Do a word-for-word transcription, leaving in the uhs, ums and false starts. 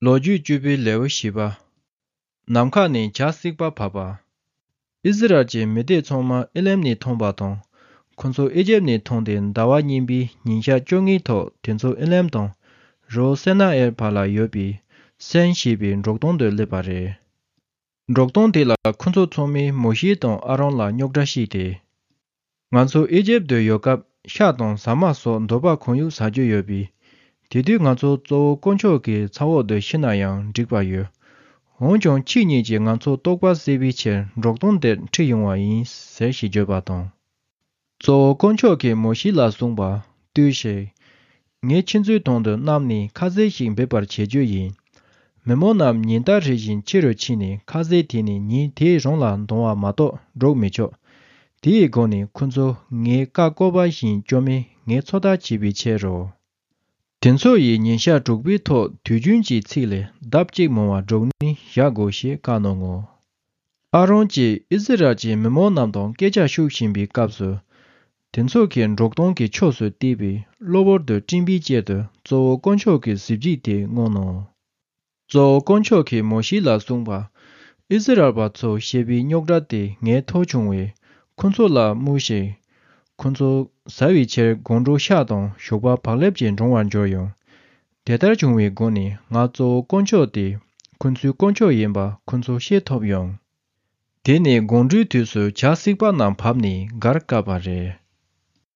ལོ་རྒྱུས་བཅུ་པའི་ལེའུ་བཞི་པ། ནམ་མཁའ་ནས་བྱ་གསིག་པ་བབས་པ། ཨིསི་རཱཨེལ་གྱི་མི་སྡེ་ཚང་མ་ཨེ་ལེམ་ནས་ཐོན་པ་དང་། ཁོ་ཚོ་ཨི་ཇེབ་ནས་ཐོན་ཏེ་ཟླ་བ་གཉིས་པའི་ཉིན་ཞག་བཅོ་ལྔའི་ཐོག་དེ་ཚོ་ཨེ་ལེམ་དང་རི་བོ་སེ་ན་ཨེལ་བར་ལ་ཡོད་པའི་སན་ཞེས་པའི་འབྲོག་སྟོང་དུ་སླེབས་པ་རེད། འབྲོག་སྟོང་དེ་ལ་ཁོ་ཚོ་ཚང་མས་མོ་ཤེ་དང་ཨ་རོན་ལ་རྙོག་དྲ་བཤད་དེ། ང་ཚོ་ཨི་ཇེབ་ཏུ་ཡོད་སྐབས་ཤ་དང་ཟ་མ་སོགས་འདོད་པ་གང་ཡོད་ཟ་རྒྱུ་ཡོད་པས། དེ་དུས་ང་ཚོ་གཙོ་བོ་དཀོན་མཆོག་གི་ཚབ་འོག་ཏུ་ཤི་ན་ཡང་འགྲིག་པ་ཡོད། འོན་ཀྱང་ཁྱེད་གཉིས་ཀྱིས་ང་ཚོ་རྟོགས་པ་སད་པའི་ཕྱིར་འབྲོག་སྟོང་འདིར་ཁྲིད་ཡོང་བ་ཡིན་ཟེར་ཞེས་བརྗོད་པ་དང་། གཙོ་བོ་དཀོན་མཆོག་གིས་མོ་ཤེ་ལ་གསུངས་པ། ལྟོས་ཤིག་ངས་ཁྱེད་ཚོའི་དོན་དུ་གནམ་ནས་ཁ་ཟས་ཤིག་འབེབས་པར་བྱེད་རྒྱུ་ཡིན། མི་མང་རྣམས་ཉིན་ལྟར་རེ་བཞིན་ཕྱི་རུ་ཕྱིན་ནས་ཁ་ཟས་དེད་ནས་ཉིན་དེའི་རང་ལ་འདང་བ་མ་གཏོགས་འགྲོ་མི་ཆོག་དེའི་སྒོ་ནས་ཁོ་ཚོ་ངའི་བཀའ་བཀོད་པ་བཞིན་བཅོ་མིན་ངས་ཚོད་ལྟ་བྱེད་པའི་ཕྱིར་རོ། དེ་ཚོ་ཡིས་ཉིན་ཞག་དྲུག་པའི་ཐོག་དུས་རྒྱུན་གྱི་ཚིག་ལས་ལྡབ་གཅིག་མང་བ་སྒྲུག་ནས་བཞག་དགོས་ཞེས་བཀའ་གནང་ངོ་། ཨ་རོན་གྱིས་ཨིསི་རཱཨེལ་གྱི་མི་མང་རྣམས་དང་སྐད་ཆ་ཤོད་བཞིན་པའི་སྐབས་སུ། དེ་ཚོ་གིས་འབྲོག་སྟོང་གི་ཕྱོགས་སུ་བལྟས་པས་གློ་བུར་དུ་སྤྲིན་པའི་དཀྱིལ་དུ་གཙོ་བོ་དཀོན་མཆོག་གི་གཟི་བརྗིད་དེ་མངོན་ནོ། གཙོ་བོ་དཀོན་མཆོག་གིས་མོ་ཤེ་ལ་གསུངས་པ། ཨིསི་རཱཨེལ་པ་ཚོ་བཤད་པའི་རྙོག་དྲ་དེ་ངས་ཐོས་བྱུང་བས་ཁོ་ཚོ་ལ་སྨྲོས་ཤིག་ཁོ་ཚོ་ཟ་བའི་ཕྱིར་སྒོང་དྲུག་ཤ་དང་ཞོགས་པ་བག་ལེབ་ཀྱིས་འགྲང་བར་འགྱུར་ཡང་། དེ་ལྟར་བྱུང་བའི་སྒོ་ནས་ང་གཙོ་བོ་དཀོན་མཆོག་དེ་ཁོ་ཚོའི་དཀོན་མཆོག་ཡིན་པ་ཁོ་ཚོ་ཤེས་ཐུབ་ཡོང་། དེ་ནས་དགོང་དྲོའི་དུས་སུ་བྱ་གསིག་པ་རྣམས་བབས་ནས་སྒར་བཀབ་པ་རེད།